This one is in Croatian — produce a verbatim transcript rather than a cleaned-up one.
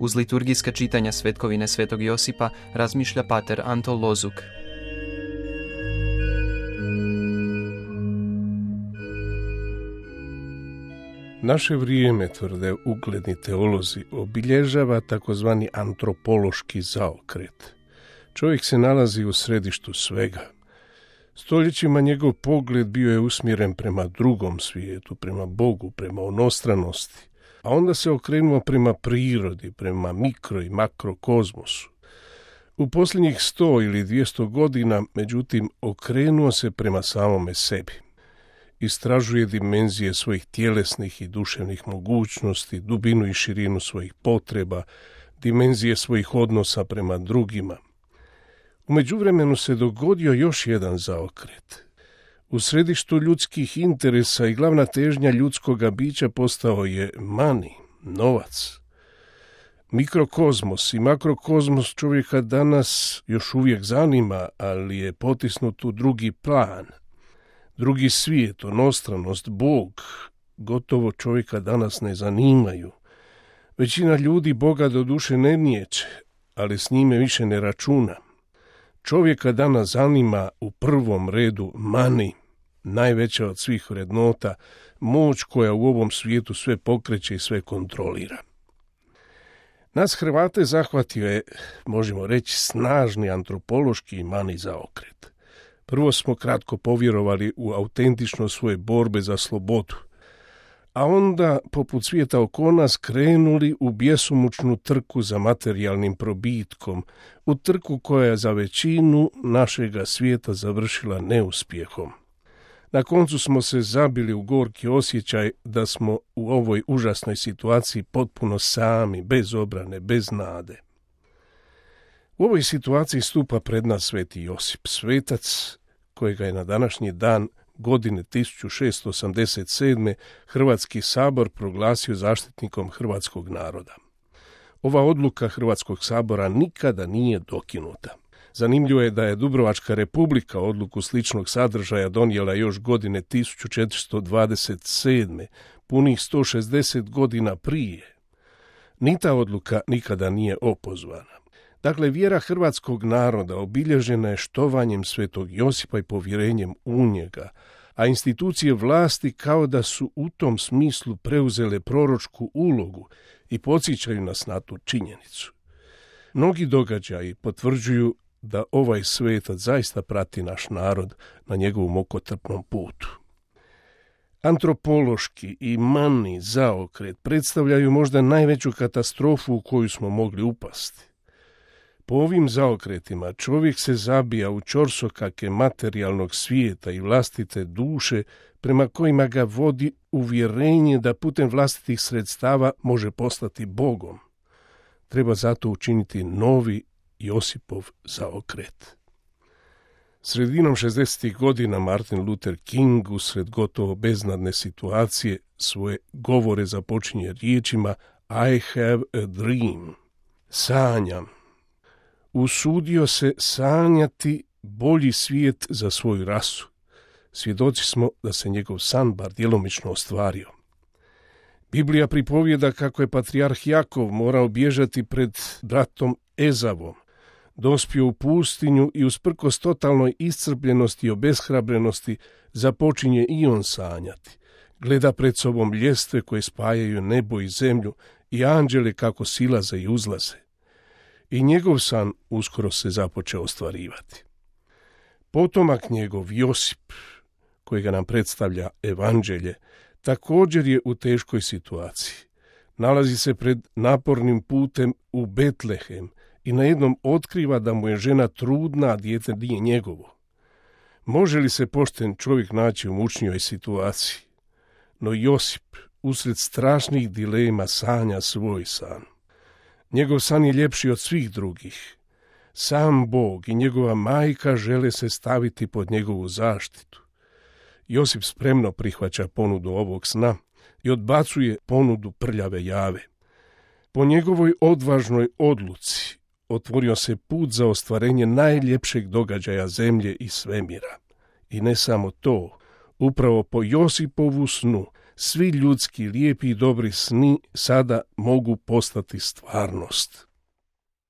Uz liturgijska čitanja svetkovine svetog Josipa razmišlja pater Anto Lozuk. Naše vrijeme, tvrde ugledni teolozi, obilježava takozvani antropološki zaokret. Čovjek se nalazi u središtu svega. Stoljećima njegov pogled bio je usmjeren prema drugom svijetu, prema Bogu, prema onostranosti, a onda se okrenuo prema prirodi, prema mikro i makrokozmosu. U posljednjih sto ili dvjesto godina, međutim, okrenuo se prema samome sebi. Istražuje dimenzije svojih tjelesnih i duševnih mogućnosti, dubinu i širinu svojih potreba, dimenzije svojih odnosa prema drugima. U međuvremenu se dogodio još jedan zaokret. U središtu ljudskih interesa i glavna težnja ljudskoga bića postao je money, novac. Mikrokozmos i makrokozmos čovjeka danas još uvijek zanima, ali je potisnut u drugi plan. Drugi svijet, onostranost, Bog, gotovo čovjeka danas ne zanimaju. Većina ljudi Boga do duše ne niječe, ali s njime više ne računa. Čovjeka danas zanima u prvom redu money, najveća od svih vrednota, moć koja u ovom svijetu sve pokreće i sve kontrolira. Nas Hrvate zahvatio je, možemo reći, snažni antropološki i money zaokret. Prvo smo kratko povjerovali u autentičnost svoje borbe za slobodu, a onda, poput svijeta oko nas, krenuli u bjesomučnu trku za materijalnim probitkom, u trku koja je za većinu našega svijeta završila neuspjehom. Na koncu smo se zabili u gorki osjećaj da smo u ovoj užasnoj situaciji potpuno sami, bez obrane, bez nade. U ovoj situaciji stupa pred nas sveti Josip, svetac kojega je na današnji dan godine tisuću šesto osamdeset sedme. Hrvatski sabor proglasio zaštitnikom hrvatskog naroda. Ova odluka Hrvatskog sabora nikada nije dokinuta. Zanimljivo je da je Dubrovačka republika odluku sličnog sadržaja donijela još godine tisuću četiristo dvadeset sedme. punih sto šezdeset godina prije. Ni ta odluka nikada nije opozvana. Dakle, vjera hrvatskog naroda obilježena je štovanjem svetog Josipa i povjerenjem u njega, a institucije vlasti kao da su u tom smislu preuzele proročku ulogu i podsjećaju nas na tu činjenicu. Mnogi događaji potvrđuju da ovaj svetac zaista prati naš narod na njegovom mukotrpnom putu. Antropološki i money zaokret predstavljaju možda najveću katastrofu u koju smo mogli upasti. Po ovim zaokretima čovjek se zabija u ćorsokake materijalnog svijeta i vlastite duše prema kojima ga vodi uvjerenje da putem vlastitih sredstava može postati Bogom. Treba zato učiniti novi Josipov zaokret. Sredinom šezdesetih godina Martin Luther King usred gotovo beznadne situacije svoje govore započinje riječima I have a dream. Sanjam. Usudio se sanjati bolji svijet za svoju rasu. Svjedoci smo da se njegov san bar djelomično ostvario. Biblija pripovijeda kako je patrijarh Jakov morao bježati pred bratom Ezavom, dospio u pustinju i usprkos totalnoj iscrpljenosti i obeshrabrenosti započinje i on sanjati. Gleda pred sobom ljestve koje spajaju nebo i zemlju i anđele kako silaze i uzlaze. I njegov san uskoro se započeo ostvarivati. Potomak njegov Josip, kojega nam predstavlja evanđelje, također je u teškoj situaciji. Nalazi se pred napornim putem u Betlehem i najednom otkriva da mu je žena trudna, a dijete nije njegovo. Može li se pošten čovjek naći u mučnijoj situaciji? No Josip, usred strašnih dilema, sanja svoj san. Njegov san je ljepši od svih drugih. Sam Bog i njegova majka žele se staviti pod njegovu zaštitu. Josip spremno prihvaća ponudu ovog sna i odbacuje ponudu prljave jave. Po njegovoj odvažnoj odluci otvorio se put za ostvarenje najljepšeg događaja zemlje i svemira. I ne samo to, upravo po Josipovu snu svi ljudski lijepi i dobri sni sada mogu postati stvarnost.